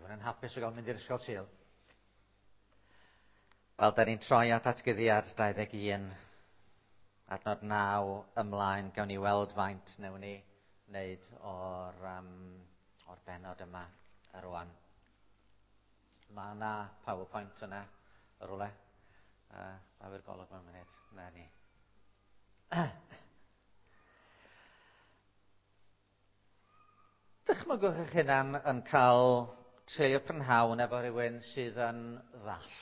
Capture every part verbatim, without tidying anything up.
Rhywun yn hapus o gael mynd i'r ysgol Sul. Wel, da ni'n troi at atgyddiad dau ddeg un, adnod naw ymlaen. Gawn ni weld faint wnawn ni wneud o'r, um, o'r bennod yma rwan. Mae yna PowerPoint yna, y rwle. Uh, Daw i'r golwg mewn munud. Na ni. Dychmygwch eich hunan yn cael treulio prynhawn efo rhywun sydd yn ddall.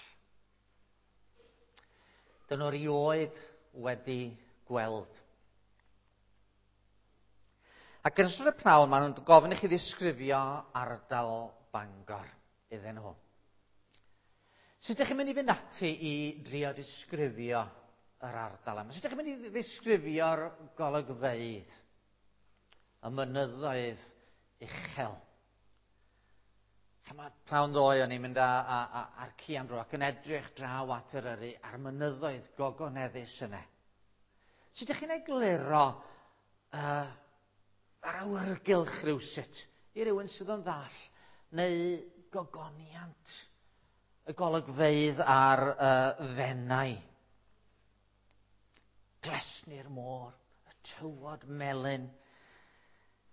Dyn nhw erioed wedi gweld. Ac yn ystod y pnawn, maen nhw'n gofyn i chi ddisgrifio ardal Bangor iddyn nhw. Sut ydych chi'n mynd i fynd ati i drio disgrifio yr ardal yma? Sut ydych chi'n mynd i ddisgrifio'r golygfeydd, y mynyddoedd uchel? Mae pnawn ddoe o'n i'n mynd â, â, â, â'r ci am dro ac yn edrych draw at Eryri a'r mynyddoedd gogoneddus yna. Sut ydych chi'n egluro uh, yr awyrgylch rhywsut i rywun sydd yn ddall neu gogoniant y golygfeydd ar uh, Fenai? Glesni'r môr, y tywod melyn.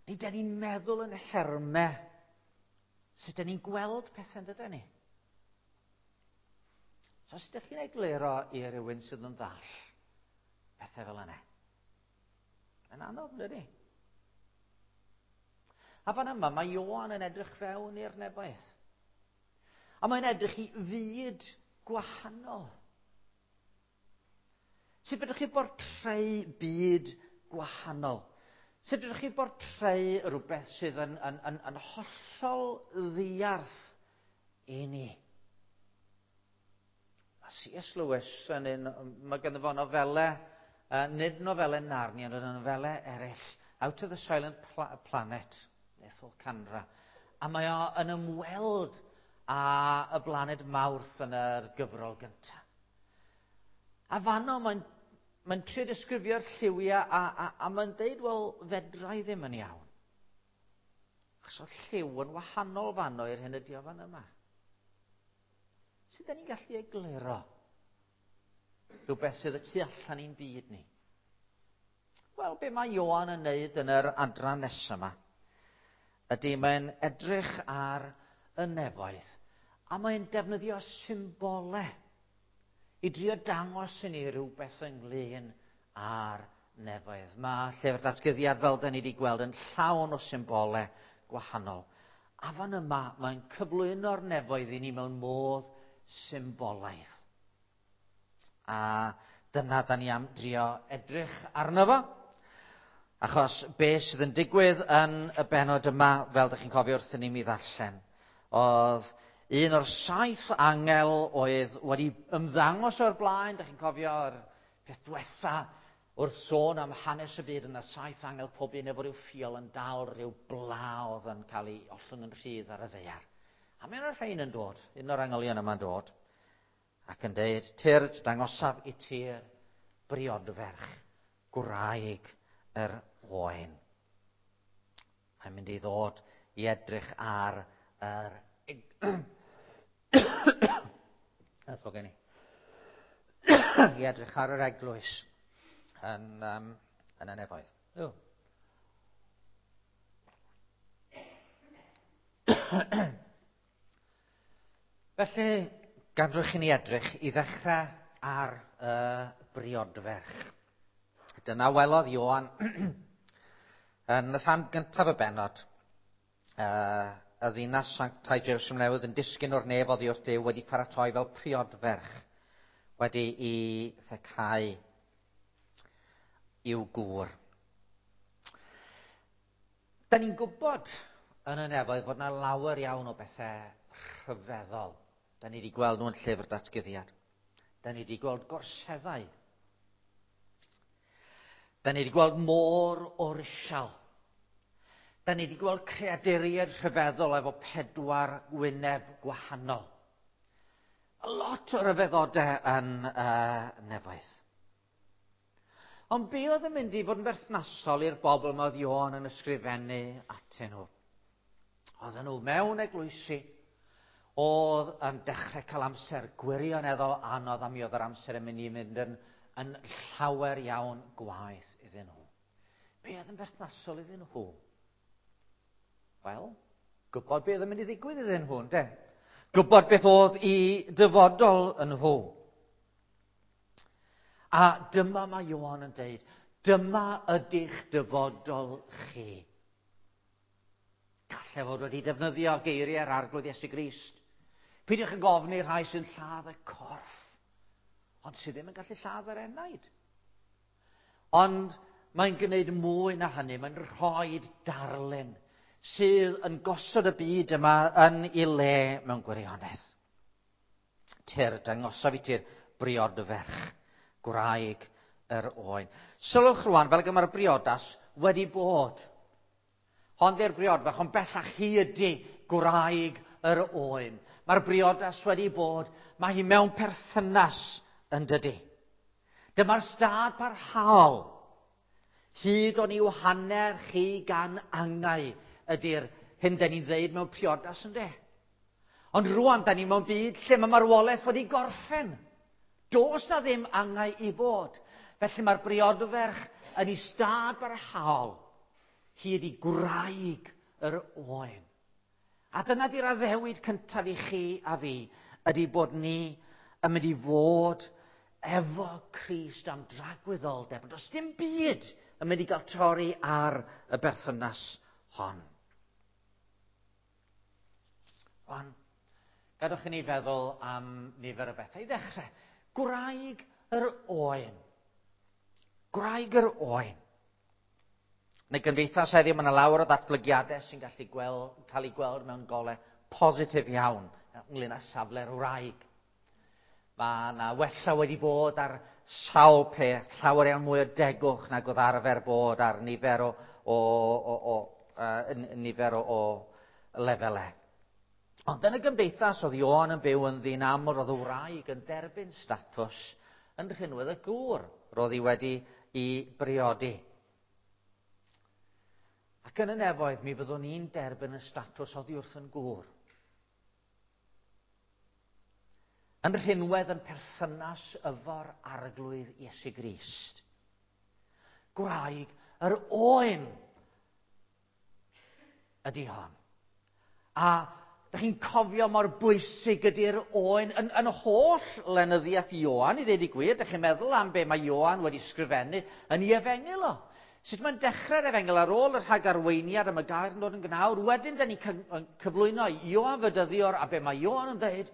Nid ydyn ni'n meddwl yn nhermau sut ydyn ni'n gweld pethau, dydyn ni? So sut ydych chi'n egluro i rywun sydd yn ddall pethau fel yna? Mae'n anodd, dydy? A fan yma, mae Ioan yn edrych fewn i'r nefoedd. A mae'n edrych i fyd gwahanol. Sut fedrwch chi bortreu byd gwahanol? Sut fedrwch chi bortreu rhywbeth sydd yn, yn, yn, yn hollol ddiarth i ni? Mae C S Lewis yn un, mae ganddo fo nofelau, uh, nid nofelau Narnia, ond nofelau eraill, Out of the Silent Pla- Planet, Ethol Candra. A mae o yn ymweld â y blaned Mawrth yn yr gyfrol gyntaf. A fanno mae'n mae'n trio disgrifio'r lliwiau a, a, a mae'n deud, wel, fedra i ddim yn iawn. Achos oedd lliw yn wahanol fanno i'r hyn ydi o fan yma. Sut da ni'n gallu egluro rhywbeth sydd y tu allan i'n byd ni? Wel, be mae Ioan yn neud yn yr adran nesaf yma ydy mae'n edrych ar y nefoedd a mae'n defnyddio symbolau i drio dangos i ni rhywbeth ynglyn â'r nefoedd. Mae llyfr datguddiad, fel da ni wedi gweld, yn llawn o symbolau gwahanol. A fan yma, mae'n cyflwyno'r nefoedd i ni mewn modd symbolaidd. A dyna da ni am drio edrych arno fo. Achos be sydd yn digwydd yn y bennod yma, fel ydych chi'n cofio wrthyn ni mi ddarllen, oedd un o'r saith angel oedd wedi ymddangos o'r blaen, ydych chi'n cofio'r peth diwetha wrth sôn am hanes y byd, yna saith angel pob un efo rhyw ffiol yn dal rhyw bla oedd yn cael ei ollwng yn rhydd ar y ddaear. A mae yna rhain yn dod, un o'r angylion yma'n dod, ac yn deud, tyrd, dangosaf i ti'r briodferch, gwraig yr oen. Mae'n mynd i ddod i edrych ar yr That's what gen i. I edrych ar yr eglwys yn, um, yn y nefoedd. Oh. Felly, gadwch i ni edrych i ddechrau ar y briodferch. Dyna welodd Ioan yn y rhan gyntaf y bennod. Uh, y ddinas sanctaidd Jerusalem newydd yn disgyn o'r nef oddi wrth Dduw wedi paratoi fel priodferch wedi i thecau i'w gŵr. Da ni'n gwybod yn y nefoedd fod yna lawer iawn o bethau rhyfeddol. Da ni wedi gweld nhw yn llyfr datguddiad. Da ni wedi gweld gorseddau. Da ni wedi gweld môr o risial. Da ni wedi gweld creaduriaid rhyfeddol efo pedwar wyneb gwahanol. A lot o ryfeddodau yn uh, nefoedd. Ond be oedd yn mynd i fod yn berthnasol i'r bobl yma oedd Ioan yn ysgrifennu atyn nhw? Oedden nhw mewn eglwysi, oedd yn dechrau cael amser gwirioneddol anodd, a mi oedd yr amser yn mynd i mynd yn, yn llawer iawn gwaeth iddyn nhw. Be oedd yn berthnasol iddyn nhw? Wel, gwybod beth oedd yn mynd i ddigwydd iddyn nhw, ynde? Gwybod beth oedd i dyfodol yn nhw. A dyma mae Ioan yn deud, dyma ydy'ch dyfodol chi. Gallai fod wedi defnyddio geiriau'r Arglwydd Iesu Grist. Peidiwch yn gofni rhai sy'n lladd y corff, ond sydd ddim yn gallu lladd yr enaid. Ond mae'n gwneud mwy na hynny, mae'n rhoi darlun sydd yn gosod y byd yma yn ei le mewn gwirionedd. Tyr, dangosaf i ti'r briodferch, gwraig yr oen. Sylwch rwan, fel gyma'r briodas wedi bod. Hon di'r briodferch, ond bellach hi ydy gwraig yr oen. Mae'r briodas wedi bod, mae hi mewn perthynas yn dydy. Dyma'r stad parhaol. Hyd o'n i'w hanner chi gan angau ydy'r hyn da ni'n ddeud mewn priodas, ynde? Ond rwan, da ni mewn byd lle mae marwolaeth wedi gorffen. Does na ddim angau i fod. Felly mae'r briodferch yn ei stad barhaol. Hi ydy gwraig yr oen. A dyna di'r addewid cyntaf i chi a fi, ydy bod ni yn mynd i fod efo Crist am dragwyddoldeb. Ond does dim byd yn mynd i gael torri ar y berthynas hon. Rwan, gadwch i ni feddwl am nifer o bethau. I ddechrau, gwraig yr oen. Gwraig yr oen. Yn y gymdeithas heddiw, mae yna lawer o ddatblygiadau sy'n gallu gweld, cael eu gweld mewn golau positif iawn ynglyn â safle'r wraig. Mae yna wella wedi bod ar sawl peth, llawer iawn mwy o degwch nag oedd arfer bod ar nifer o, o, o, o, uh, nifer o, o lefelau. Ond yn y gymdeithas oedd Ioan yn byw ynddi'n aml, roedd y wraig yn derbyn statws yn rhinwedd y gŵr roedd hi wedi i briodi. Ac yn y nefoedd mi fyddwn ni'n derbyn y statws oddi wrth yn gŵr. Yn rhinwedd yn perthynas efo'r Arglwydd Iesu Grist. Gwraig yr oen ydy hon. A dych chi'n cofio mor bwysig ydy'r oen yn, yn holl lenyddiaeth Ioan, i ddweud y gwir. Dych chi'n meddwl am be mae Ioan wedi sgrifennu yn ei efengyl o. Sut mae'n dechrau'r efengyl ar ôl y rhagarweiniad am y gair yn dod yn gnawd. Wedyn, da ni'n cyflwyno Ioan Fedyddiwr, a be mae Ioan yn dweud,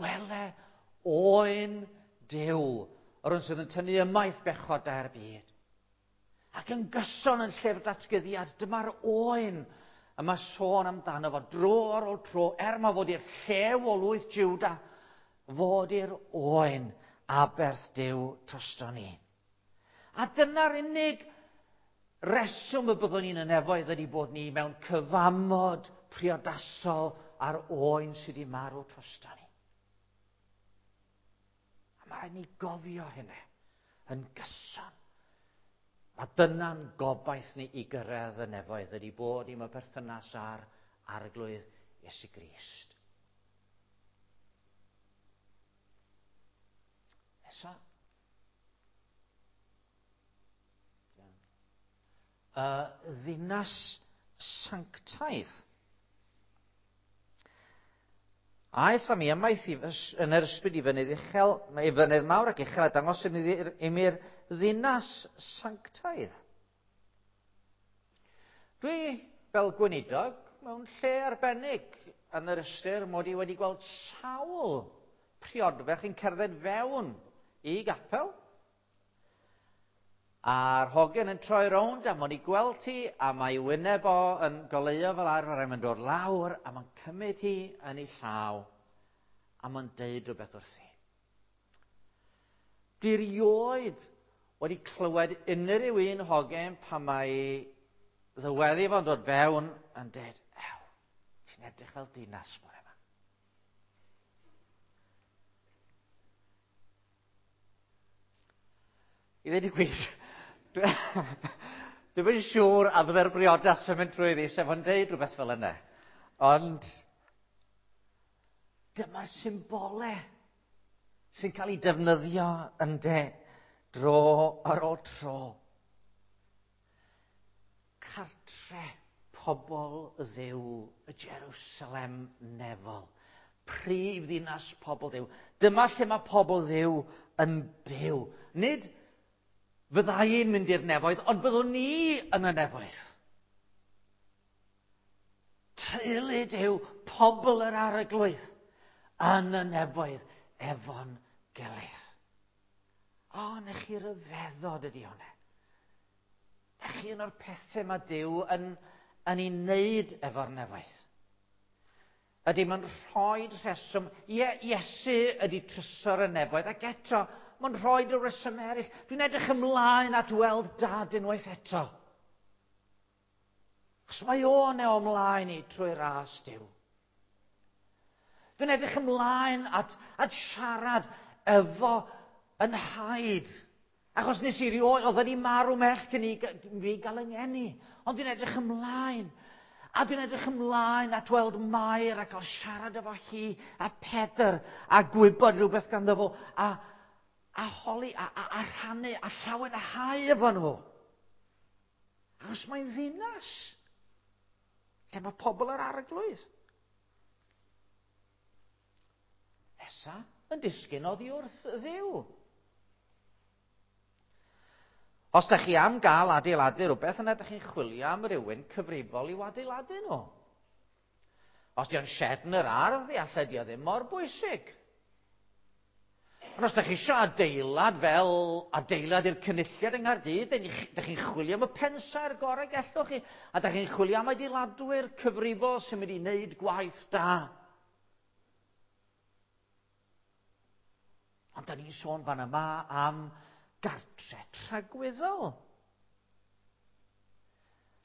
wele oen Duw, yr un sydd yn tynnu ymaith bechodau'r byd. Ac yn gyson yn llyfr datguddiad, dyma'r oen y mae sôn amdano fo dro ar ôl tro, er ma fod i'r llew o lwyth Juda, fod i'r oen aberth Duw drosto ni. A dyna'r unig reswm y byddwn ni'n y nefoedd ydy bod ni mewn cyfamod priodasol ar oen sydd wedi marw drosto ni. A mae rhaid ni gofio hynny yn gyson. A dyna'n gobaith ni i gyrraedd y nefoedd ydy bod ni mewn perthynas â'r Arglwydd Iesu Grist. Nesa. Y ddinas sanctaidd. Aeth â mi ymaith i yn yr ysbryd i fynydd uchel, i fynydd mawr ac uchel, a dangos i mi'r ddinas sanctaidd. Dwi, fel gweinidog, mewn lle arbennig yn yr ystyr mod i wedi gweld sawl priodferch yn cerdded fewn i gapel. A'r hogyn yn troi rownd a mo'n i gweld hi, a mae wyneb o yn goleuo fel arfer, a mae'n dod lawr, a mae'n cymryd hi yn ei llaw, a mae'n deud rhywbeth wrthi. Dwi rioed wedi clywed unrhyw un hogyn pan mae ddyweddi fo'n dod fewn yn deud, ew, ti'n edrych fel dinas bore yma. I ddweud y gwir, dwi'm yn siŵr a fydde'r briodas yn mynd trwy ddi, sef o'n deud rhywbeth fel yna. Ond Dyma'r symbolau sy'n cael ei defnyddio yn de dro ar ôl tro. Cartre pobl Dduw, y Jerusalem nefol. Prif ddinas pobl Dduw. Dyma lle mae pobl Dduw yn byw. Nid fydda i'n mynd i'r nefoedd, ond byddwn ni yn y nefoedd. Teulu Duw, pobl yr Arglwydd, yn y nefoedd efo'n gilydd. O, na chi ryfeddod ydi hwnna. Na chi un o'r pethau mae Duw yn, yn ei wneud efo'r nefoedd. Ydy, mae'n rhoi rheswm. Ie, Iesu ydy trysor y nefoedd, ac eto, mae'n rhoi y rheswm eraill. Dwi'n edrych ymlaen at weld Dad unwaith eto. Achos mae o'n e o ymlaen i trwy ras Duw. Dwi'n edrych ymlaen at, at siarad efo yn nhaid. Achos nes i rioed, oedd wedi marw mell cyn i fi gael yng ngeni. Ond dwi'n edrych ymlaen. A dwi'n edrych ymlaen at weld Mair a cael siarad efo hi a Pedr a gwybod rhywbeth ganddo fo a, a holi a, a, a rhannu a llawenhau efo nhw. Achos mae'n ddinas lle mae pobl yr Arglwydd. Nesa yn disgyn oddi wrth Dduw. Os da chi am gael adeiladu rhywbeth, yna da chi'n chwilio am rywun cyfrifol i'w adeiladu nhw. Os di o'n shed yn yr ardd, allai di o ddim mor bwysig. Ond os da chi eisiau adeilad fel adeilad i'r cynulliad yng Nghaerdydd, da chi'n chwilio am y pensaer gorau gellwch chi, a da chi'n chwilio am adeiladwyr cyfrifol sy'n mynd i wneud gwaith da. Ond da ni'n sôn fan yma am gartre tragwyddol.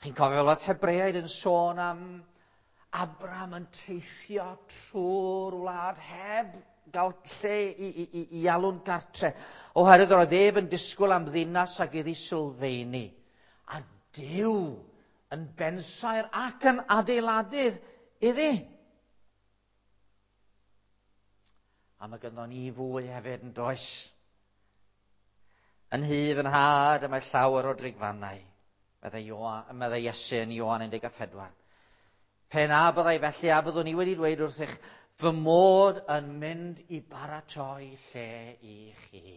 Chi'n cofio fel oedd Hebreaid yn sôn am Abraham yn teithio trwy'r wlad heb gael lle i, i, i, i alw'n gartre, oherwydd oedd ef yn disgwyl am ddinas ag iddi sylfaeni. A Duw yn bensaer ac yn adeiladydd iddi. A mae gynnon ni fwy hefyd yn does. Yn nhŷ fy nhad y mae llawer o drigfannau, meddai, Ioan, meddai Iesu yn Ioan un deg pedwar. Pe na byddai felly, a byddwn i wedi dweud wrthych, fy mod yn mynd i baratoi lle i chi.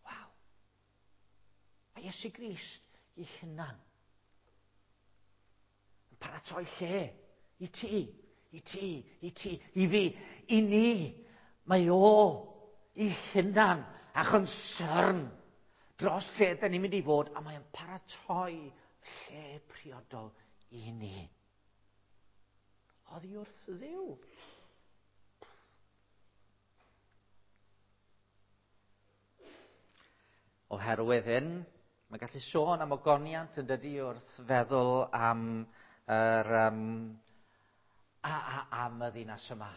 Waw. Mae Iesu Grist i hunan yn paratoi lle i ti, i ti, i ti, i fi, i ni. Mae o i hunan a chonsern dros lle da ni'n mynd i fod, a mae'n paratoi lle priodol i ni. Oddi wrth Dduw. Oherwydd hyn, mae'n gallu sôn am ogoniant yn dydi wrth feddwl am yr, um, a, a, am y ddinas yma.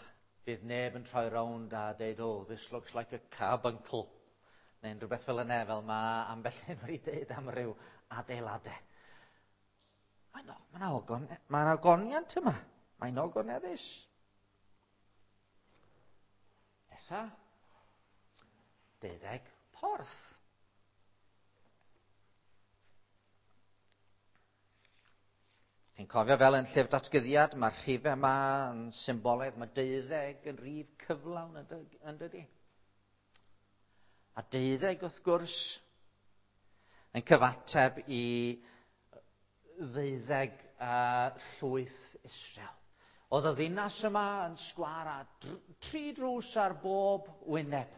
Bydd neb yn troi rownd a deud, oh, this looks like a carbuncle. Neu'n rhywbeth fel yna, fel mae ambell un wedi deud am ryw adeiladau. Mae'n ma ogon, ma ogoniant yma. Mae'n ogoneddus. Nesa, deuddeg porth. Chi'n cofio fel yn llyfr datguddiad, mae'r rhifau yma yn symbolaidd, mae deuddeg yn rhif cyflawn yn dydi. A deuddeg wrth gwrs yn cyfateb i ddeuddeg uh, llwyth Israel. Oedd y ddinas yma yn sgwâr a tri drws ar bob wyneb.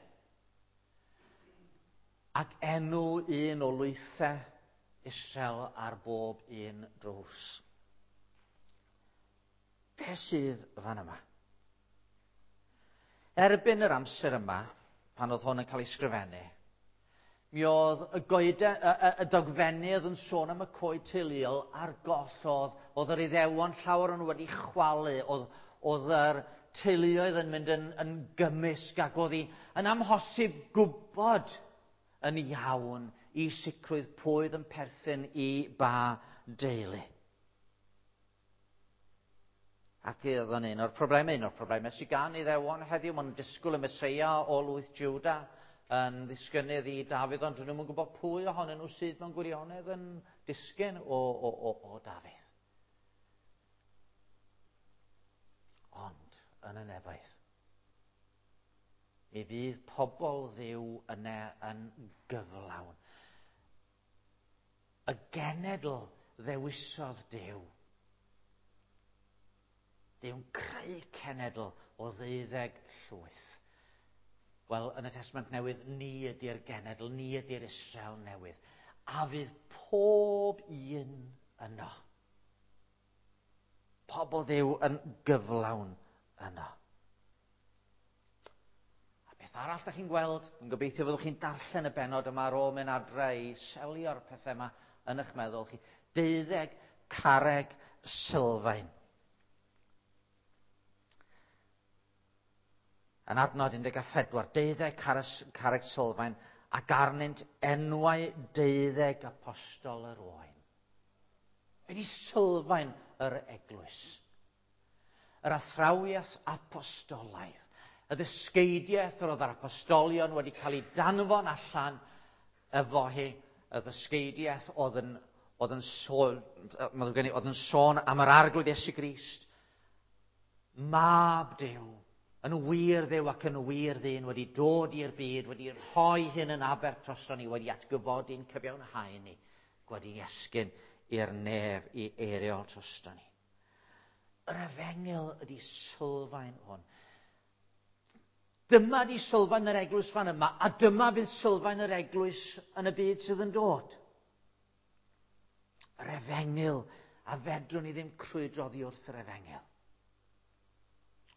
Ac enw un o lwythau Israel ar bob un drws. Be sydd fan yma? Erbyn yr amser yma, pan oedd hwn yn cael ei sgrifennu, mi oedd y, goede, y, y, y dogfennydd yn sôn am y coed teuluol ar goll oedd, oedd yr Iddewon llawer o'n wedi chwalu, oedd, oedd yr teuluoedd yn mynd yn, yn gymysg ac oedd hi yn amhosib gwybod yn iawn i sicrwydd pwy oedd yn perthyn i ba deulu. Ac oedd yn un o'r problemau, un o'r problemau sydd gan Iddewon heddiw, maen nhw'n disgwyl y Meseia o lwyth Jwda yn ddisgynnydd i Dafydd, ond dyn nhw'n gwybod pwy ohonyn nhw sydd mewn gwirionedd yn disgyn o, o, o, o Dafydd. Ond yn y nefoedd, mi fydd pobl Dduw yna yn gyflawn. Y genedl ddewisodd Duw. Duw'n creu cenedl o ddeuddeg llwyth. Wel, yn y Testament Newydd, ni ydy'r genedl, ni ydy'r Israel newydd. A fydd pob un yno. Pobl Dduw yn gyflawn yno. A beth arall da chi'n gweld, yn gobeithio fyddwch chi'n darllen y bennod yma ar ôl mynd adre i selio'r pethau yma yn eich meddwl chi. Deuddeg carreg sylfaen. Yn adnod un deg pedwar, deuddeg carreg sylfaen ac arnynt enwau deuddeg apostol yr Oen. Ydy sylfaen yr eglwys. Yr athrawiaeth apostolaidd. Y ddysgeidiaeth yr oedd yr apostolion wedi cael ei danfon allan efo hi. Y ddysgeidiaeth oedd yn, oedd yn, sôn, oedd yn sôn am yr Arglwydd Iesu Grist. Mab Duw, yn wir Dduw ac yn wir ddyn, wedi dod i'r byd, wedi rhoi hyn yn aberth drosto ni, wedi atgyfodi'n cyfiawnhau ni, wedi esgyn i'r nef i eiriol drosto ni. Yr efengyl ydy sylfaen hwn. Dyma di sylfaen yr eglwys fan yma, a dyma fydd sylfaen yr eglwys yn y byd sydd yn dod. Yr efengyl, a fedrwn ni ddim crwydro oddi wrth yr efengyl.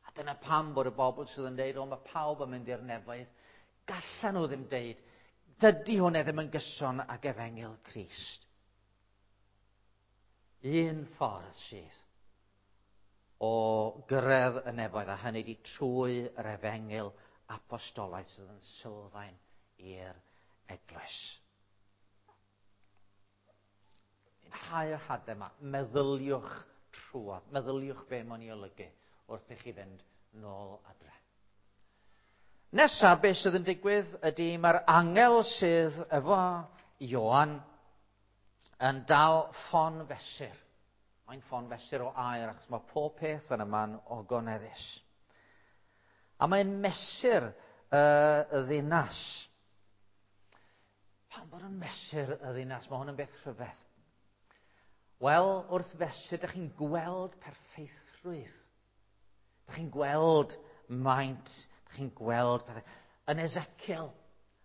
A dyna pam bod y bobl sydd yn deud, o, mae pawb yn mynd i'r nefoedd, gallan nhw ddim deud, dydy hwnna ddim yn gyson ag efengyl Crist. Un ffordd sydd o gyrraedd y nefoedd, a hynny di trwy yr efengyl apostolaidd sydd yn sylfaen i'r eglwys. Ni'n hau'r hadau yma, meddyliwch trwodd, meddyliwch be mae'n ei olygu wrth i chi fynd nôl adre. Nesa, beth sydd yn digwydd ydy mae'r angel sydd efo Ioan yn dal ffon fesur. Mae'n ffon fesur o aer, achos mae pob peth fan yma'n ogoneddus. A mae'n mesur uh, y ddinas. Pam bod yn mesur y ddinas? Mae hwn yn beth rhyfedd. Wel, wrth fesur, dych chi'n gweld perffeithrwydd. Dych chi'n gweld maint, dych chi'n gweld pethau. Yn Ezekiel,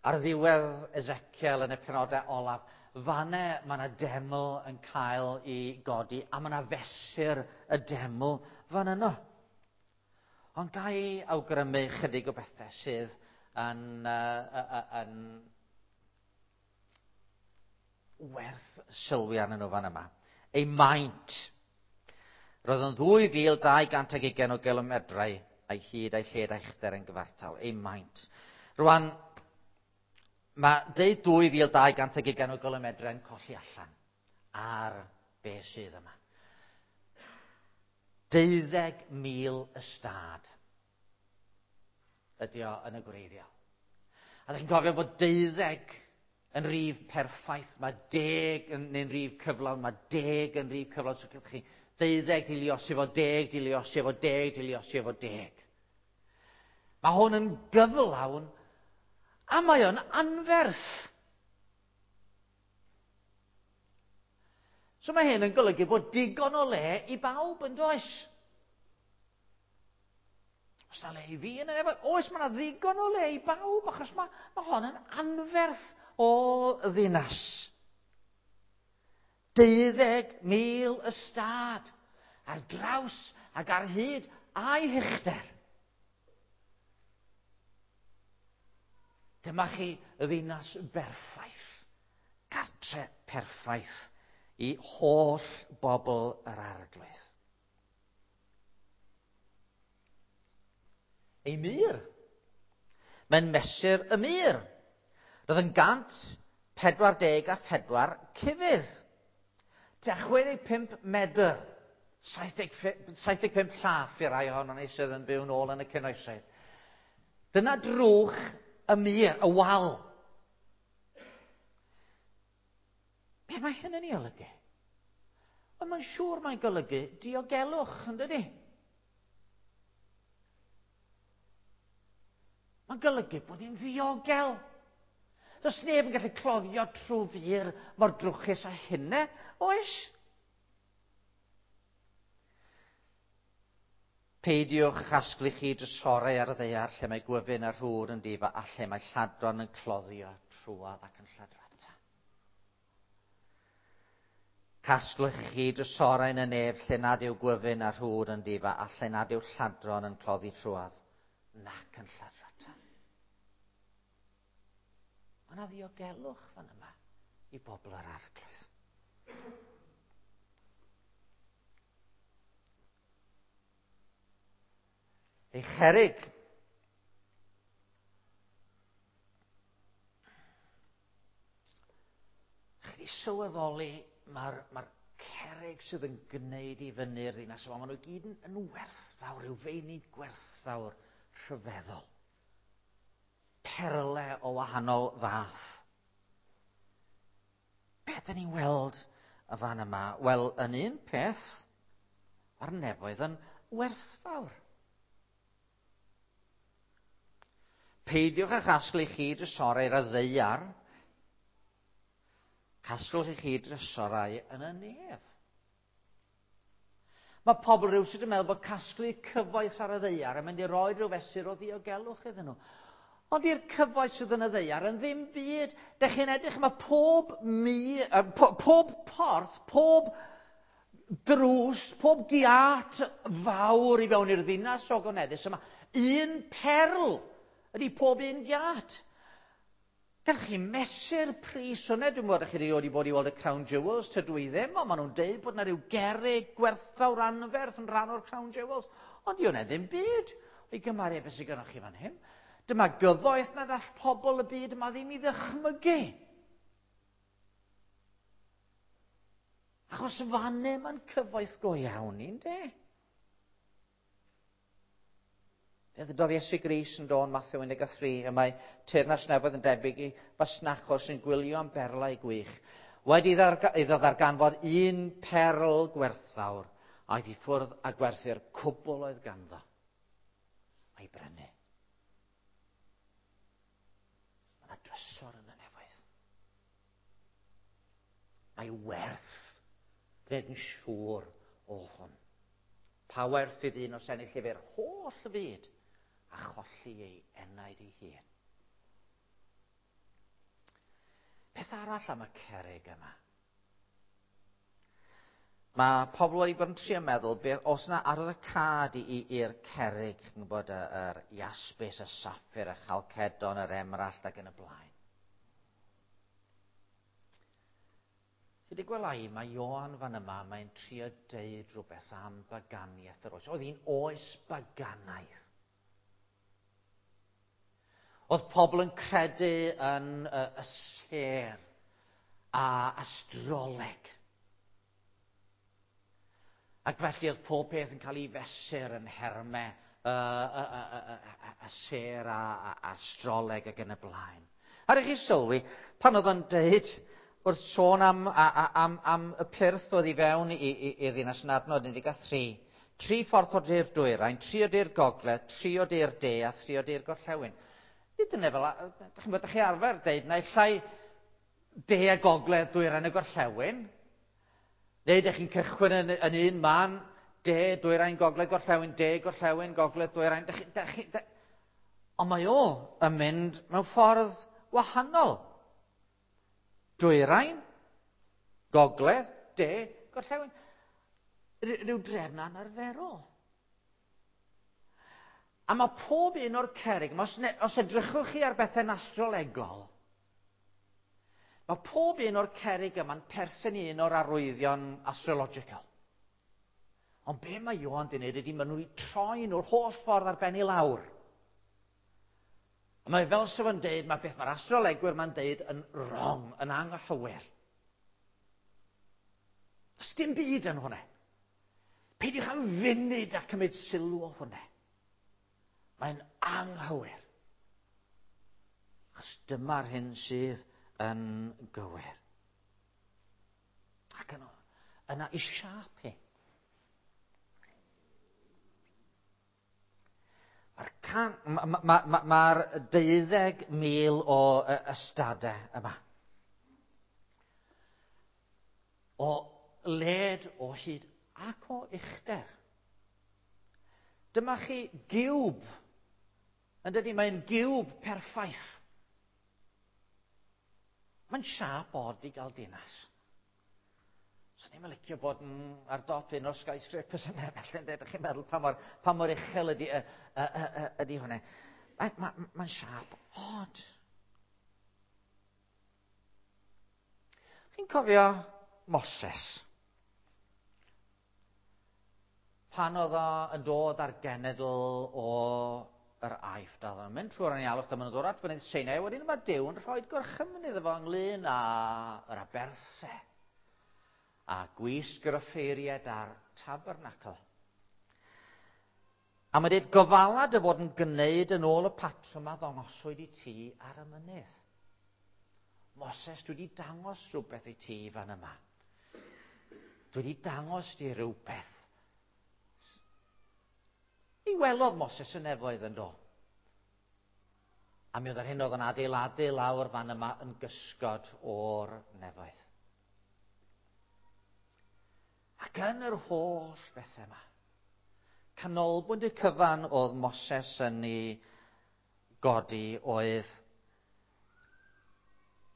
ar ddiwedd Ezekiel yn y penodau olaf, fanne mae yna deml yn cael ei godi, a mae yna fesur y deml fan yno. Ond ga i awgrymu chydig o bethau sydd yn, uh, uh, yn werth sylwi arnyn nhw fan yma. Ei maint. Roedd yn ddwy fil dau gant ag ugain o gilomedrau a'i hyd a'i lled a'i uchder yn gyfartal. Ei maint. Rwan, mae deud dwy fil dau gant ag ugain o gilomedrau yn colli allan ar be sydd yma. Deuddeg mil ystâd ydy o yn y gwreiddiol. A ydych chi'n cofio bod deuddeg yn rif perffaith, mae deg yn, yn rif cyflawn, mae deg yn rif cyflawn. So chi deuddeg di liosi efo deg, di liosi efo deg, di liosi efo deg. Mae hwn yn gyflawn a mae o'n anferth. So mae hyn yn golygu bod digon o le i bawb yn does? Oes na le i fi yn y nefod? Oes, mae yna ddigon o le i bawb, achos mae, mae hon yn anferth o ddinas. Deuddeg mil ystâd ar draws ac ar hyd a'i huchder. Dyma chi y ddinas berffaith, cartre perffaith i holl bobl yr Arglwydd. Ei mur. Mae'n mesur y mur. Roedd yn gant pedwar deg a phedwar cufydd. Tua chwe deg pump medr saith deg pump llath i rai ohonon ni sydd yn byw nôl yn y cynoesoedd. Dyna drwch y mur, y wal. Be mae hyn yn ei olygu? Wel, mae'n siŵr mae'n golygu diogelwch, yn dydi? Mae'n golygu bod ni'n ddiogel. Does neb yn gallu cloddio trwy fur mor drwchus â hynny, oes? Peidiwch chasglu chi drysorau ar y ddaear lle mae gwyfyn a rhwr yn difa a lle mae lladron yn cloddio trwodd ac yn lladrata. Casglwch chi drysorau yn y nef lle nad yw gwyfyn a rhwr yn difa a lle nad yw lladron yn cloddi trwodd nac yn lladrata. Mae yna ddiogelwch fan yma i bobl yr Arglwydd. Ei cherig. Chi wedi sylweddoli mae'r mae cerig sydd yn gwneud i fyny'r ddinas yma, maen nhw gyd yn, yn werthfawr, rhyw feini gwerthfawr rhyfeddol. Perle o wahanol fath. Be ydyn ni'n weld y fan yma? Wel, yn un peth, mae'r nefoedd yn werthfawr. Peidiwch â chasglu chi drysorau ar y ddaear. Casglwch i chi drysorau yn y nef. Mae pobl rhywsut yn meddwl bod casglu cyfoeth ar y ddaear yn mynd i roi rhyw fesur o ddiogelwch iddyn nhw. Ond i'r cyfoeth sydd yn y ddaear yn ddim byd. Dych chi'n edrych, mae pob, mi, po, pob porth, pob drws, pob giât fawr i fewn i'r ddinas ogoneddus yma. Un perl ydy pob un giât. Gallwch chi mesur pris hwnna. Dwi'n gwybod chi wedi bod i weld y Crown Jewels, tydw i ddim, ond maen nhw'n deud bod yna rhyw gerrig gwerthfawr anferth yn rhan o'r Crown Jewels. Ond di hwnna ddim byd o'i gymharu beth sydd gennych chi fan hyn. Dyma gyfoeth nad all pobl y byd yma ddim i ddychmygu. Achos fanne mae'n cyfoeth go iawn i'n de. Fe ddydodd Iesu Grist yn dod Mathew un deg tri, y mae teyrnas nefoedd yn debyg i fasnachwr sy'n gwylio am berlau gwych. Wedi iddo ddarganfod un perl gwerthfawr, aeth i ffwrdd a gwerthu'r cwbl oedd ganddo. A'i brynu. Mae yna drysor yn y nefoedd. Mae werth gwneud yn siŵr o hwn. Pa werth i ddyn os ennill efo'r holl fyd a cholli ei enaid ei hun. Peth arall am y cerrig yma. Mae pobl wedi bod yn trio meddwl beth os yna arwyddocâd i'r cerrig, chi'n gwybod, yr iaspis, y saffir, y chalcedon, yr emerald ac yn y blaen. Chi wedi gweld ai, mae Ioan fan yma, mae'n trio deud rhywbeth am baganiaeth yr oes. Oedd hi'n oes baganaidd. Oedd pobl yn credu yn y, y sêr a astroleg. Ac felly oedd pob peth yn cael ei fesur yn nhermau y, y, y, y, y, y sêr a, a astroleg ac yn y blaen. A rhaid chi sylwi, pan oedd o'n deud wrth sôn am, a, a, am, am y pyrth oedd i fewn i'r ddinas yn adnod un deg tri, tri ffordd o du'r dwyrain, tri o du'r gogledd, tri o du'r de a thri o du'r gorllewin. Nid yna fel, dych chi'n bod, chi arfer deud, naill ai de a gogledd, dwyrain a gorllewin, neu dych chi'n cychwyn yn, yn un man, de, dwyrain, gogledd, gorllewin, de, gorllewin, gogledd, dwyrain. Dych, dych, dych, ond mae o yn mynd mewn ffordd wahanol. Dwyrain, gogledd, de, gorllewin. Rhyw drefn anarferol. A mae pob un o'r cerrig, os, ne, os edrychwch chi ar bethau'n astrolegol, mae pob un o'r cerrig yma'n perthyn i un o'r arwyddion astrological. Ond be mae Ioan di wneud ydy maen nhw wedi troi nhw'r holl ffordd ar ben i lawr. A mae fel sef yn deud, mae beth mae'r astrolegwyr ma'n deud yn wrong, yn anghywir. Does dim byd yn hwnna. Peidiwch am funud a cymryd sylw o hwnna. Mae'n anghywir. Achos dyma'r hyn sydd yn gywir. Ac yna, yna i siâp hi. Mae'r can, ma, ma, ma, mae'r deuddeg mil o ystadau yma. O led, o hyd ac o uchder. Dyma chi giwb. Yn dydy, mae'n giwb perffaith. Mae'n siâp od i gael dinas. Swn i'n licio bod yn ar dop un o'r skyscrapers yna, felly, ydych chi'n meddwl pa mor, pa mor uchel ydy, y, y, y, ydy hwnna. Mae'n ma, ma siâp od. Chi'n cofio Moses? Pan oedd o yn dod ar genedl o yr Aifft, a oedd o'n mynd trwy'r anialwch, dyma nhw'n dod at fynydd Sinai, wedyn mae Duw yn rhoi gorchymyn iddo fo ynglyn â'r aberthau a gwisg yr offeiriad a'r tabernacl. A mae dweud, gofala dy fod yn gwneud yn ôl y patrwm a ddangoswyd i ti ar y mynydd. Moses, dwi wedi dangos rhywbeth i ti fan yma. Dwi wedi dangos di rhywbeth. Mi welodd Moses y nefoedd yn do. A mi oedd yr hyn oedd yn adeiladu lawr fan yma yn gysgod o'r nefoedd. Ac yn yr holl bethau yma, canolbwynt y cyfan oedd Moses yn ei godi oedd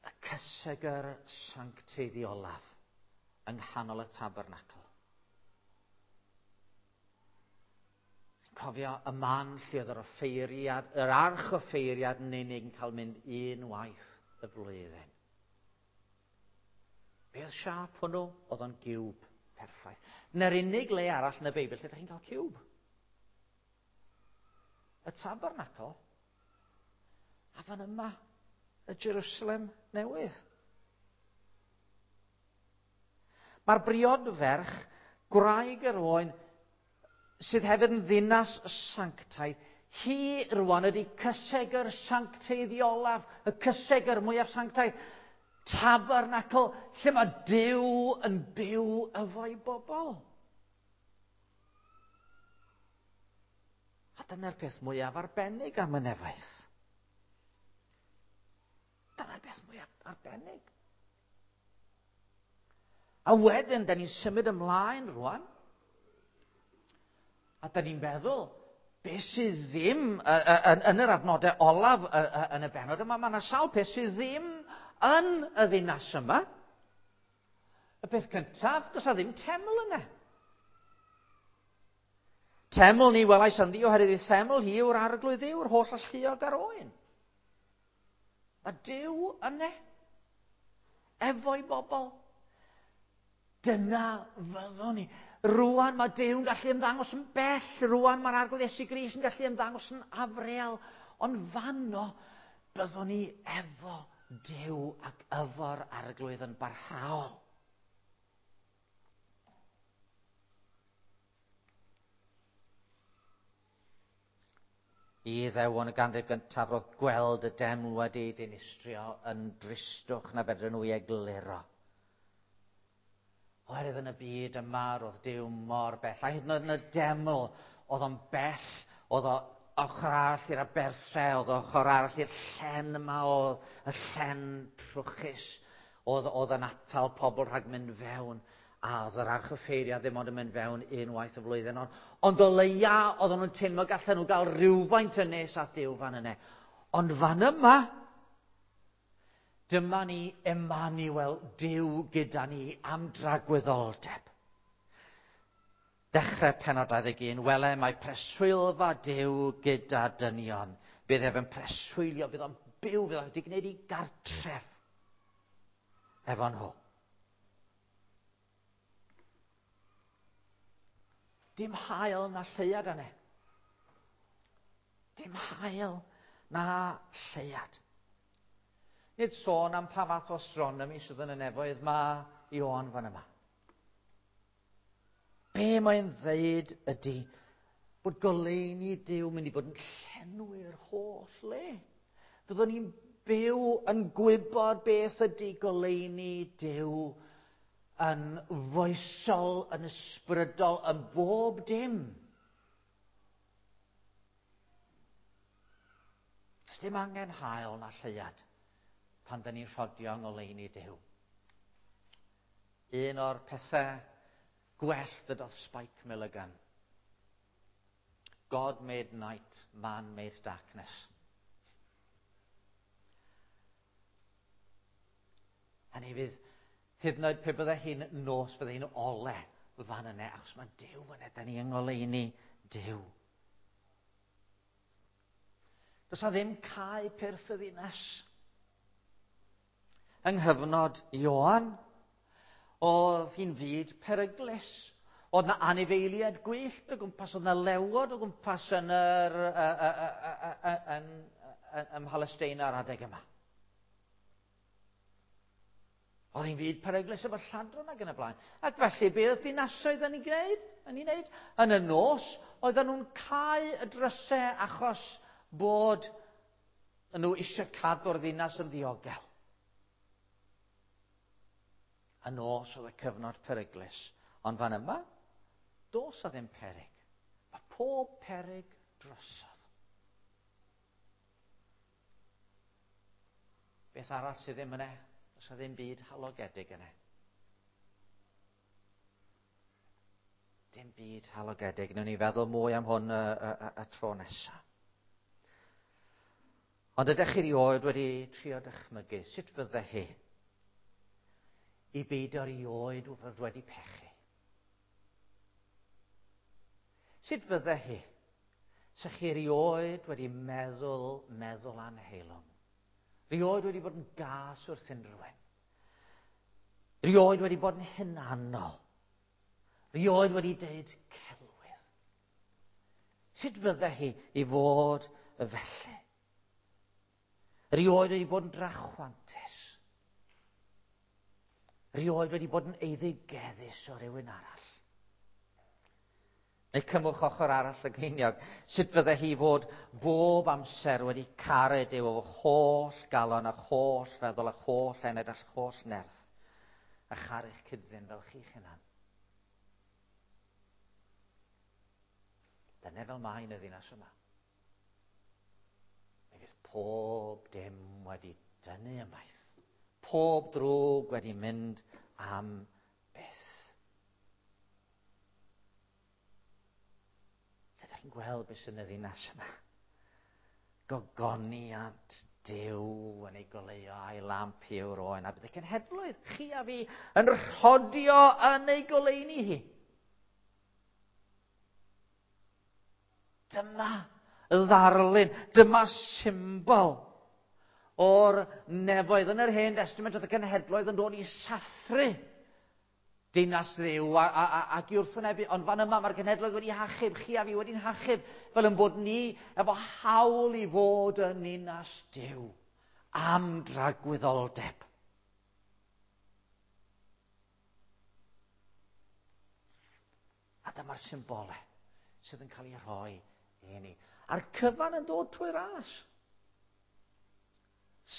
y cysegr sancteiddiolaf yng nghanol y tabernacl. Cofio y man lle oedd yr offeiriad, yr archoffeiriad yn unig yn cael mynd un waith y flwyddyn. Be oedd siâp hwnnw? Oedd o'n giwb perffaith. Na'r unig le arall yn y Beibl lle ydych chi'n cael ciwb. Y tabernacl a fan yma, y Jerusalem newydd. Mae'r briodferch, gwraig yr oen, sydd hefyd yn ddinas sanctaidd, hi rwan ydy cysegr sancteiddiolaf, y cysegr mwyaf sanctaidd, tabernacl, lle mae Duw yn byw efo'i bobl. A dyna'r peth mwyaf arbennig am y nefoedd. Dyna'r peth mwyaf arbennig. A wedyn, da ni'n symud ymlaen rwan. A da ni'n meddwl, beth sydd ddim, yn, yn yr adnodau olaf yn y bennod yma, mae yna sawl peth sydd ddim yn y ddinas yma. Y peth cyntaf, does na ddim teml yna. Teml ni welais ynddi oherwydd ei theml hi yw'r arglwydd yw'r holl alluog ar oen. Mae Duw yna, efo'i bobl. Dyna fyddwn ni. Rwan mae Duw yn gallu ymddangos yn bell. Rwan mae'r Arglwydd Iesu Grist yn gallu ymddangos yn afreal. Ond fanno byddwn ni efo Duw ac efo'r Arglwydd yn barhaol. I Iddewon y ganrif gyntaf roedd gweld y deml wedi ei dinistrio yn dristwch na fedrwn nhw ei egluro. Oherwydd yn y byd yma roedd Duw mor bell. A hyd yn oed yn y deml oedd o'n bell, oedd o ochr arall i'r aberthau, oedd o ochr arall i'r llen yma, oedd y llen trwchus, oedd, oedd yn atal pobl rhag mynd fewn. A oedd yr archoffeiriad ddim ond yn mynd fewn unwaith y flwyddyn. Ond, ond o leia oedden nhw'n teimlo gallen nhw gael rhywfaint yn nes at Duw fan yna. Ond fan yma, dyma ni Emmanuel, Duw gyda ni am dragwyddoldeb. Dechrau pennod dau ddeg un, wele mae preswylfa Duw gyda dynion. Bydd ef yn preswylio, bydd o'n byw, bydd o'n wedi gwneud i gartref efo nhw. Dim haul na lleuad yna. Dim haul na lleuad. Nid sôn am pa fath o astronomi sydd yn y nefoedd mae Ioan fan yma. Be mae'n ddeud ydy bod goleuni Duw mynd i fod yn llenwi'r holl le. Fyddwn ni'n byw yn gwybod beth ydy goleuni Duw yn foesol, yn ysbrydol, yn bob dim. Does dim angen haul na lleuad pan dyn ni'n rhodio yng ngoleuni Duw. Un o'r pethau gwell ddydodd Spike Milligan. God made night, man made darkness. Hynny fydd, hyd yn oed pe bydde hi'n nos, bydde hi'n ole fan yna, achos mae Duw yna, da ni yng ngoleuni Duw. Does 'na ddim cau pyrth y ddinas. Yng nghyfnod Ioan, oedd hi'n fyd peryglus. Oedd na anifeiliaid gwyllt o gwmpas, oedd na lewod o gwmpas yn, yr, yn, yn, ym Mhalesteina ar adeg yma. Oedd hi'n fyd peryglus efo lladron ac yn y blaen. Ac felly, be oedd dinasoedd yn ei gwneud? Yn ei wneud? Yn y nos, oedden nhw'n cau y drysau achos bod nhw eisiau cadw'r ddinas yn ddiogel. Y nos oedd y cyfnod peryglus. Ond fan yma, dos a ddim peryg. Mae pob peryg drosodd. Beth arall sydd ddim yna? Does 'na ddim byd halogedig yna. Dim byd halogedig. Newn ni feddwl mwy am hwn y, y, y, y tro nesaf. Ond ydych chi erioed wedi trio dychmygu sut fydde hi i beidio erioed fod wedi pechu? Sut fydde hi? Sa chi erioed wedi meddwl, meddwl anheilwng? Rioed wedi bod yn gas wrth unrhyw un? Rioed wedi bod yn hunanol? Rioed wedi deud celwydd? Sut fydde hi i fod y felly? Rioed wedi bod yn drachwantus? Rioed wedi bod yn eiddigeddus o rywun arall? Neu cymwch ochr arall y geiniog. Sut fydde hi fod bob amser wedi caru Duw o holl galon a holl feddwl a holl enaid a holl nerth a charu'ch cyd-ddyn fel chi'ch hunan? Dyna fel mae yn y ddinas yma. Mi fydd pob dim wedi dynnu ymaith. Pob drwg wedi mynd am byth. Ydych chi'n gweld beth sy'n y ddinas yma? Gogoniant Duw yn ei goleuo a'i lamp yw'r oen, a bydd y cenhedloedd, chi a fi, yn rhodio yn ei goleuni hi. Dyma ddarlun, dyma symbol o'r nefoedd. Yn yr Hen Testament oedd y cenhedloedd yn dod i sathru dinas Dduw a, a, a, ac i wrthwynebu. Ond fan yma mae'r cenhedloedd wedi hachub, chi a fi wedi'n hachub, fel yn bod ni efo hawl i fod yn ninas Duw am dragwyddoldeb. A dyma'r symbolau sydd yn cael ei rhoi i ni. A'r cyfan yn dod trwy ras.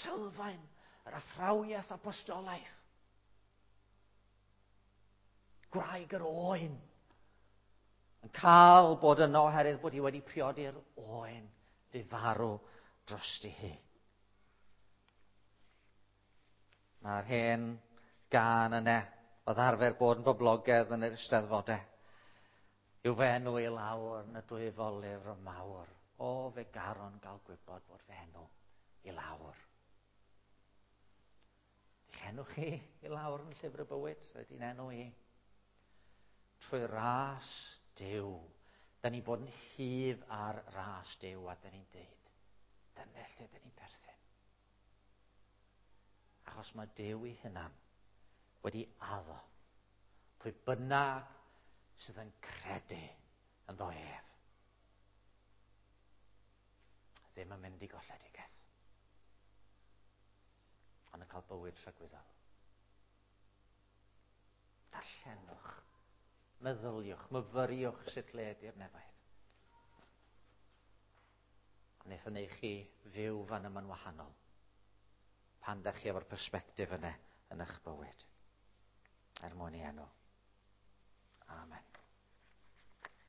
Sylfaen yr athrawiaeth apostolaidd. Gwraig yr oen yn cael bod yno oherwydd bod hi wedi priodi'r oen fu farw drosti hi. Mae'r hen gân yna oedd arfer bod yn boblogaidd yn yr eisteddfodau. Yw fy enw i lawr yn y dwyfol lyfr mawr. O, fe garon gael gwybod bod fy enw i lawr. Eich enw chi i lawr yn llyfr y bywyd, ydy'n enw i. Trwy ras Duw. Da ni bod yn hyf ar ras Duw a da ni'n deud, dyna lle da ni'n perthyn. Achos mae Duw ei hunan wedi addo pwy bynnag sydd yn credu ynddo ef ddim yn mynd i golledigaeth, ond yn cael bywyd tragwyddol. Darllenwch Meddyliwch, myfyriwch sut le ydy'r nefoedd. A wneith o wneud chi fyw fan yma'n wahanol. Pan da chi efo'r persbectif yna yn eich bywyd. Er mwyn ei enw.